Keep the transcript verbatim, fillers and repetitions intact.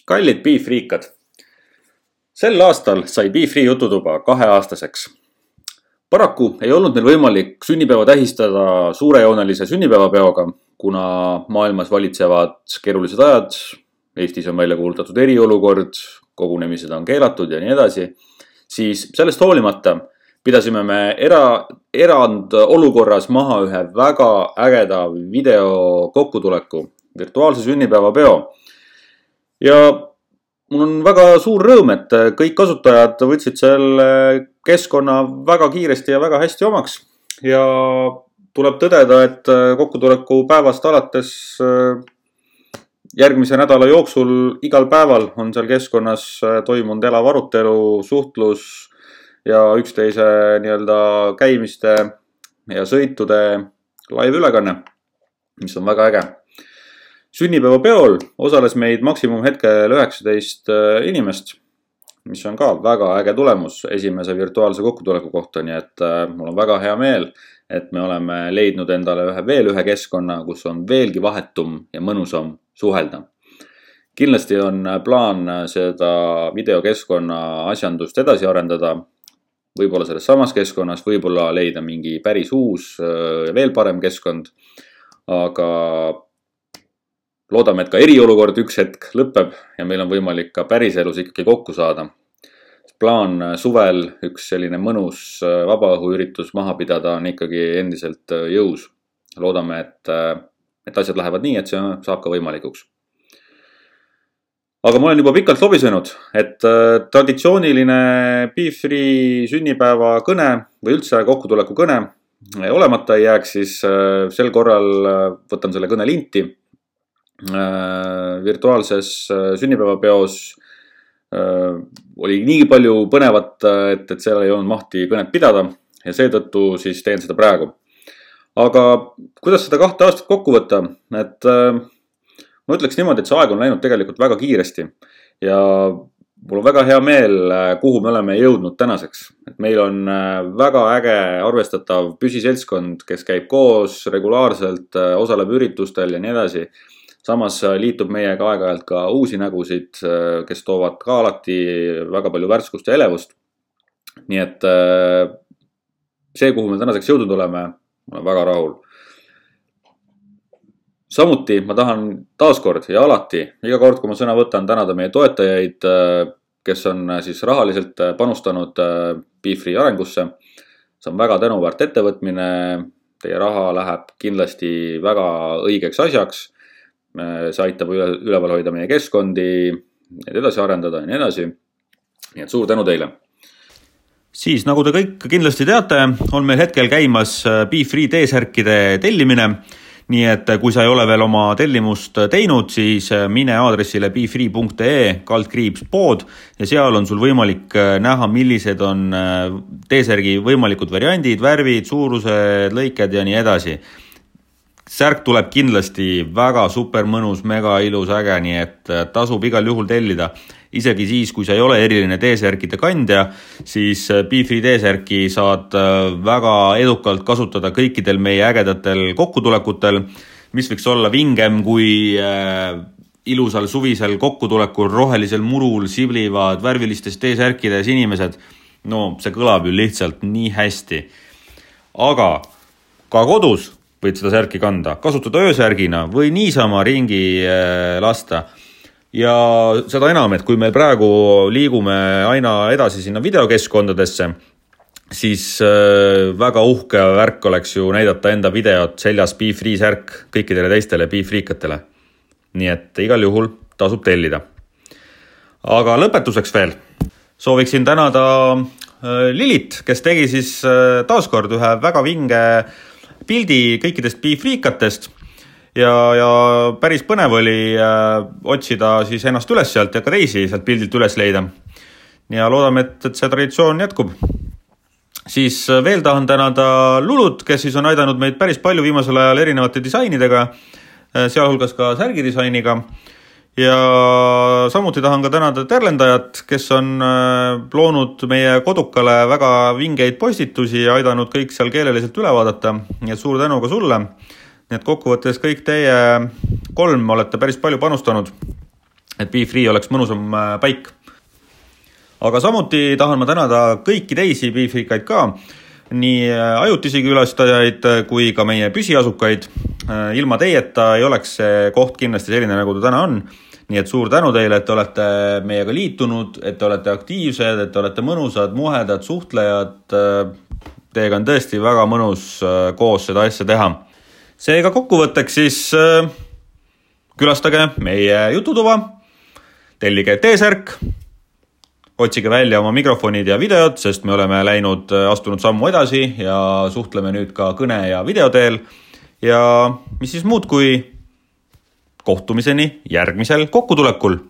Kallid Beefriikad. Sel aastal sai Beefri jututuba kaheaastaseks. Paraku ei olnud meil võimalik sünnipäeva tähistada suurejoonelise sünnipäevapeoga, kuna maailmas valitsevad keerulised ajad, Eestis on välja kuulutatud eriolukord, kogunemised on keelatud ja nii edasi, siis sellest hoolimata pidasime me era, erand olukorras maha ühe väga ägeda video kokkutuleku, virtuaalse sünnipäevapeo. Ja mul on väga suur rõõm, et kõik kasutajad võtsid selle keskkonna väga kiiresti ja väga hästi omaks. Ja tuleb tõdeda, et kokkutuleku päevast alates järgmise nädala jooksul igal päeval on seal keskkonnas toimunud elav arutelu, suhtlus ja üksteise nii-öelda käimiste ja sõitude live ülekanne, mis on väga äge. Sünnipäeva peol osales meid maksimum hetkel üheksateist inimest, mis on ka väga äge tulemus esimese virtuaalse kokkutuleku kohta, nii et mul on väga hea meel, et me oleme leidnud endale ühe, veel ühe keskkonna, kus on veelgi vahetum ja mõnusam suhelda. Kindlasti on plaan seda videokeskkonna asjandust edasi arendada, võib-olla selles samas keskkonnas, võib-olla leida mingi päris uus ja veel parem keskkond, aga loodame, et ka eriolukord üks hetk lõpeb ja meil on võimalik ka päriselus ikkagi kokku saada. Plaan suvel üks selline mõnus vabaõhuüritus maha pidada on ikkagi endiselt jõus. Loodame, et, et asjad lähevad nii, et see saab ka võimalikuks. Aga ma olen juba pikalt lobisenud, et traditsiooniline Beefri sünnipäeva kõne või üldse kokkutuleku kõne olemata ei jääks, siis sel korral võtan selle kõne linti. Virtuaalses sünnipäevapeos oli nii palju põnevat, et, et seal ei olnud mahti kõnet pidada ja seetõttu siis teen seda praegu. Aga kuidas seda kahte aastat kokku võtta? Et ma ütleks niimoodi, et see aeg on läinud tegelikult väga kiiresti ja mul on väga hea meel, kuhu me oleme jõudnud tänaseks. Et meil on väga äge arvestatav püsiseltskond, kes käib koos regulaarselt, osaleb üritustel ja nii edasi. Samas liitub meiega aeg-ajalt ka uusi nägusid, kes toovad ka alati väga palju värskust ja elevust. Nii et see, kuhu me tänaseks jõudnud oleme, olen väga rahul. Samuti ma tahan taaskord ja alati, iga kord, kui ma sõna võtan, tänada meie toetajaid, kes on siis rahaliselt panustanud Beefri arengusse. See on väga tänuväärt ettevõtmine, teie raha läheb kindlasti väga õigeks asjaks. See aitab üleval hoida meie keskkondi, need edasi arendada ja nii edasi. Nii et suur tänu teile. Siis, nagu te kõik kindlasti teate, on meil hetkel käimas Beefri T-särkide tellimine. Nii et kui sa ei ole veel oma tellimust teinud, siis mine aadressile beefri punkt ee kaldkriips pood ja seal on sul võimalik näha, millised on T-särgi võimalikud variandid, värvid, suurused, lõiked ja nii edasi. Särk tuleb kindlasti väga super mõnus, mega ilus äge, nii et tasub igal juhul tellida. Isegi siis, kui sa ei ole eriline T-särkide kandja, siis Beefri T-särki saad väga edukalt kasutada kõikidel meie ägedatel kokkutulekutel, mis võiks olla vingem kui ilusal suvisel kokkutulekul rohelisel murul siblivad värvilistes T-särkides inimesed. No, see kõlab ju lihtsalt nii hästi. Aga ka kodus võid seda särki kanda, kasutada öösärgina või niisama ringi lasta. Ja seda enam, et kui me praegu liigume aina edasi sinna videokeskkondadesse, siis väga uhke värk oleks ju näidata enda videot seljas Beefri särk kõikidele teistele Beefriikatele. Nii et igal juhul tasub tellida. Aga lõpetuseks veel sooviksin tänada Lilit, kes tegi siis taaskord ühe väga vinge pildi kõikidest Beefriikatest ja, ja päris põnev oli äh, otsida siis ennast üles sealt ja ka teisi sealt pildilt üles leida. Ja loodame, et, et see traditsioon jätkub. Siis veel tahan tänada Lulut, kes siis on aidanud meid päris palju viimasel ajal erinevate disainidega, sealhulgas ka särgidisainiga. Ja samuti tahan ka tänada Terlendajat, kes on loonud meie kodukale väga vingeid postitusi ja aidanud kõik seal keeleliselt üle vaadata. Nii et suur tänu ka sulle. Nii et kokkuvõttes kõik teie kolm olete päris palju panustanud. et BeFree oleks mõnusam paik. Aga samuti tahan ma tänada kõiki teisi BeFreekaid ka, nii ajutisi külastajaid kui ka meie püsiasukaid. Ilma teieta ei oleks see koht kindlasti selline, nagu ta täna on. Nii et suur tänu teile, et te olete meiega liitunud, et te olete aktiivsed, et te olete mõnusad, muhedad, suhtlejad. Teiega on tõesti väga mõnus koos seda asja teha. Seega kokkuvõtteks siis külastage meie jututuba, tellige T-särk, otsige välja oma mikrofonid ja videod, sest me oleme läinud, astunud sammu edasi ja suhtleme nüüd ka kõne ja videoteel. Ja mis siis muud kui kohtumiseni järgmisel kokkutulekul.